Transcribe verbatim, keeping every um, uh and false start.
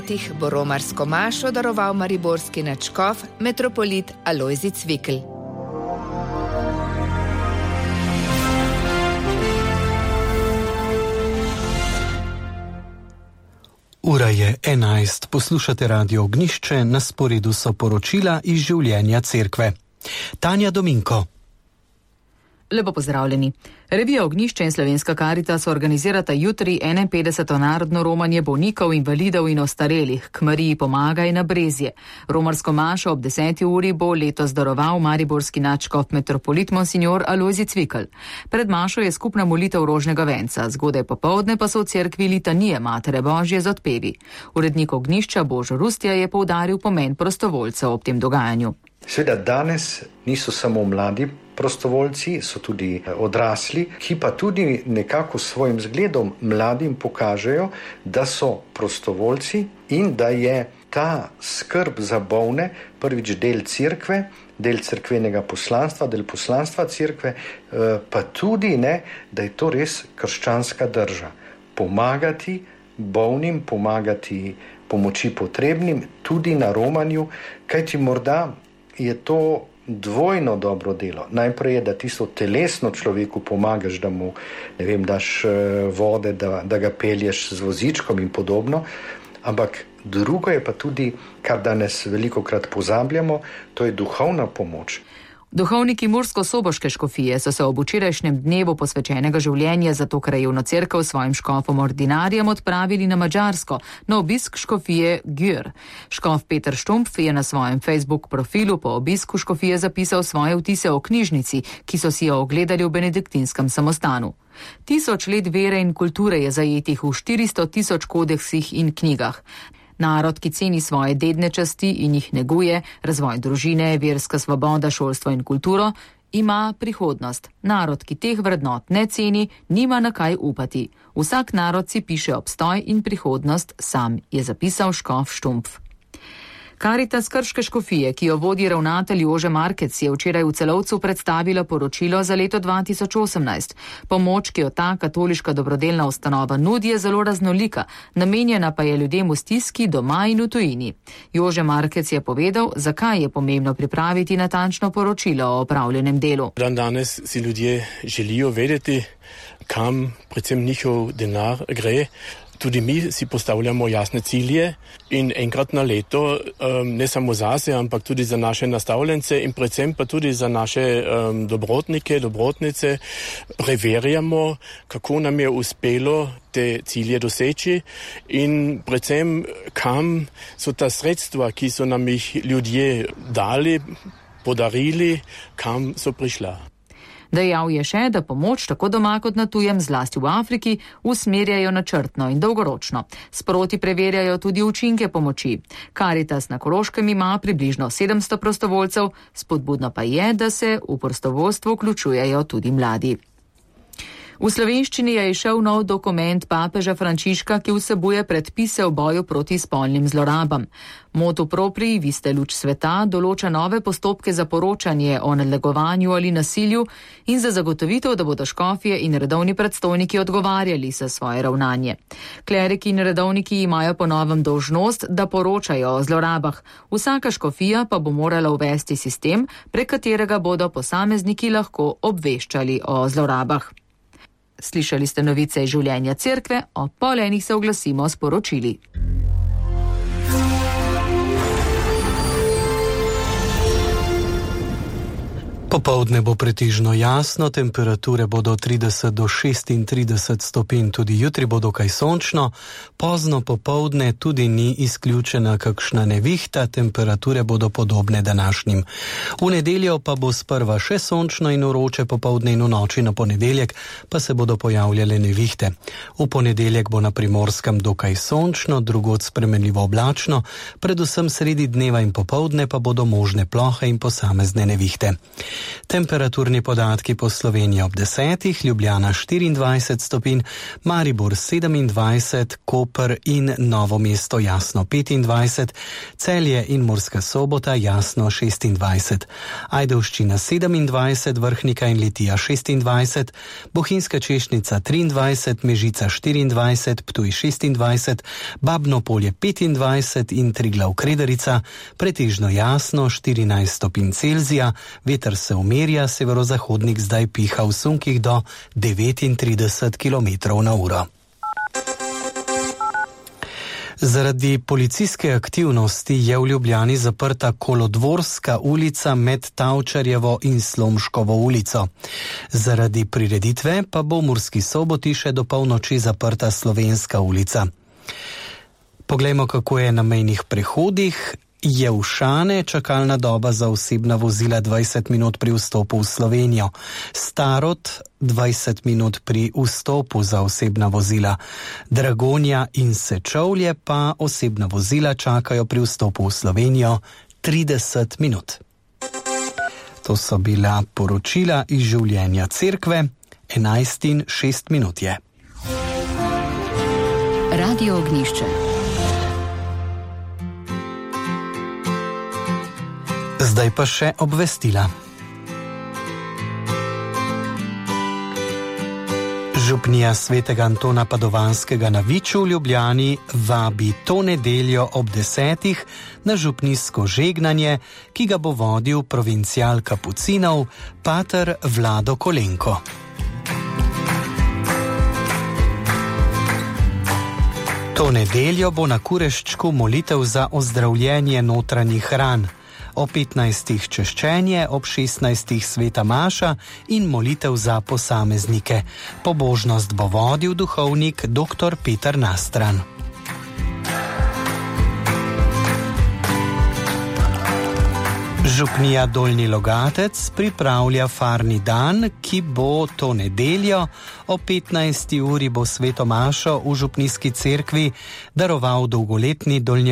letih bo romarsko mašo daroval mariborski nadškof metropolit Alojzij Cvikl. Ura je enajst, poslušate Radio Ognjišče, na sporedu so poročila iz življenja cerkve. Tanja Dominko. Lepo pozdravljeni. Revija Ognjišče in Slovenska Karitas organizirata jutri enainpetdeseto narodno romanje bolnikov, invalidov in ostarelih k Mariji Pomagaj na Brezje. Romarsko mašo ob deseti uri bo letos daroval mariborski nadškof metropolit monsignor Alojzij Cvikl. Pred mašo je skupna molitev rožnega venca, zgodaj popoldne pa so v cerkvi litanije Matere Božje z odpevi. Urednik Ognjišča Božo Rustja je poudaril pomen prostovoljcev ob tem dogajanju. Seveda danes niso samo mladi prostovoljci, so tudi odrasli, ki pa tudi nekako svojim zgledom mladim pokažejo, da so prostovoljci in da je ta skrb za bolne prvič del cerkve, del cerkvenega poslanstva, del poslanstva cerkve, pa tudi ne, da je to res krščanska drža. Pomagati bolnim, pomagati pomoči potrebnim, tudi na romanju, kajti morda je to dvojno dobro delo. Najprej je, da tisto telesno človeku pomagaš, da mu, ne vem, daš vode, da, da ga pelješ z vozičkom in podobno, ampak drugo je pa tudi, kar danes velikokrat pozabljamo, to je duhovna pomoč. Duhovniki Mursko-Soboške škofije so se ob včerajšnjem dnevu posvečenega življenja za to krajevno cerkev svojim škofom ordinarijem odpravili na Madžarsko, na obisk škofije Győr. Škof Peter Štumpf je na svojem Facebook profilu po obisku škofije zapisal svoje vtise o knjižnici, ki so si jo ogledali v benediktinskem samostanu. Tisoč let vere in kulture je zajetih v štiristo tisoč kodeksih in knjigah. Narod, ki ceni svoje dedne časti in jih neguje, razvoj družine, verska svoboda, šolstvo in kulturo, ima prihodnost. Narod, ki teh vrednot ne ceni, nima na kaj upati. Vsak narod si piše obstoj in prihodnost sam, je zapisal škof Štumpf. Karitas Krške škofije, ki jo vodi ravnatelj Jože Markec, je včeraj v Celovcu predstavila poročilo za leto dva tisoč osemnajst. Pomoč, ki jo ta katoliška dobrodelna ustanova nudi, je zelo raznolika, namenjena pa je ljudem v stiski doma in v tujini. Jože Markec je povedal, zakaj je pomembno pripraviti natančno poročilo o opravljenem delu. Dan danes si ljudje želijo vedeti, kam predvsem njihov denar gre. Tudi mi si postavljamo jasne cilje in enkrat na leto, um, ne samo zase, ampak tudi za naše nastavljence in predvsem pa tudi za naše um, dobrotnike, dobrotnice, preverjamo, kako nam je uspelo te cilje doseči in predvsem, kam so ta sredstva, ki so nam jih ljudje dali, podarili, kam so prišla. Dejal je še, da pomoč tako doma kot na tujem, zlasti v Afriki, usmerjajo načrtno in dolgoročno. Sproti preverjajo tudi učinke pomoči. Karitas na Koroškem ima približno sedemsto prostovoljcev, spodbudno pa je, da se v prostovoljstvo vključujejo tudi mladi. V slovenščini je izšel nov dokument papeža Frančiška, ki vsebuje predpise o boju proti spolnim zlorabam. Motu proprii, vi ste luč sveta, določa nove postopke za poročanje o nadlegovanju ali nasilju in za zagotovitev, da bodo škofje in redovni predstojniki odgovarjali za svoje ravnanje. Kleriki in redovniki imajo po novem dolžnost, da poročajo o zlorabah. Vsaka škofija pa bo morala uvesti sistem, prek katerega bodo posamezniki lahko obveščali o zlorabah. Slišali ste novice iz življenja cerkve, o pol enih se oglasimo s poročili. Popoldne bo pretežno jasno, temperature bodo trideset do šestintrideset stopinj, tudi jutri bo dokaj sončno, pozno popoldne tudi ni izključena kakšna nevihta, temperature bodo podobne današnjim. V nedeljo pa bo sprva še sončno in vroče, popoldne in v noči na ponedeljek pa se bodo pojavljale nevihte. V ponedeljek bo na Primorskem dokaj sončno, drugod spremenljivo oblačno, predvsem sredi dneva in popoldne pa bodo možne plohe in posamezne nevihte. Temperaturni podatki po Sloveniji ob desetih, Ljubljana štiriindvajset stopinj, Maribor sedemindvajset, Koper in Novo mesto jasno petindvajset, Celje in Murska Sobota jasno šestindvajset, Ajdovščina sedemindvajset, Vrhnika in Litija šestindvajset, Bohinjska Češnica triindvajset, Mežica štiriindvajset, Ptuj šestindvajset, Babno Polje petindvajset in Triglav Kredarica, pretežno jasno štirinajst stopinj Celzija, veter se umirja, severozahodnik zdaj piha v sunkih do devetintrideset kilometrov na uro. Zaradi policijske aktivnosti je v Ljubljani zaprta Kolodvorska ulica med Tavčarjevo in Slomškovo ulico. Zaradi prireditve pa bo v Murski Soboti še do polnoči zaprta Slovenska ulica. Poglejmo, kako je na mejnih prehodih. Jevšane, čakalna doba za osebna vozila dvajset minut pri vstopu v Slovenijo. Starod dvajset minut pri vstopu za osebna vozila. Dragonja in Sečovlje pa osebna vozila čakajo pri vstopu v Slovenijo trideset minut. To so bila poročila iz življenja cerkve. enajst in šest minut je. Radio Ognjišče. Zdaj pa še obvestila. Župnija svetega Antona Padovanskega na Viču v Ljubljani vabi to nedeljo ob desetih na župnijsko žegnanje, ki ga bo vodil provincial kapucinov pater Vlado Kolenko. To nedeljo bo na Kureščku molitev za ozdravljenje notranjih ran. O petnajstih češčenje, ob šestnajstih sveta maša in molitev za posameznike. Pobožnost bo vodil duhovnik dr. Peter Nastran. Župnija Dolnji Logatec pripravlja farni dan, ki bo to nedeljo. O petnajsti uri bo sveto mašo v župnijski cerkvi daroval dolgoletni dolnje